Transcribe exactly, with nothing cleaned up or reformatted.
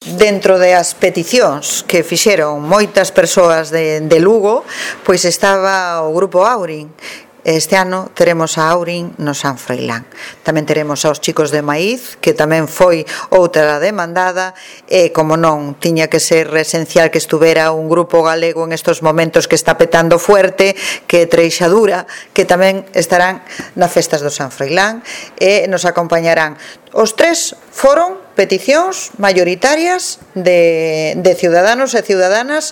Dentro das peticións que fixeron moitas persoas de, de Lugo, pois estaba o grupo Aurin. Este ano teremos a Aurin no San Froilán. Tamén teremos aos chicos de Maíz, que tamén foi outra demandada, e, como non, tiña que ser esencial que estuvera un grupo galego en estos momentos que está petando fuerte, que é Treixadura, que tamén estarán nas festas do San Froilán, e nos acompañarán. Os tres foron peticións maioritarias de, de ciudadanos e ciudadanas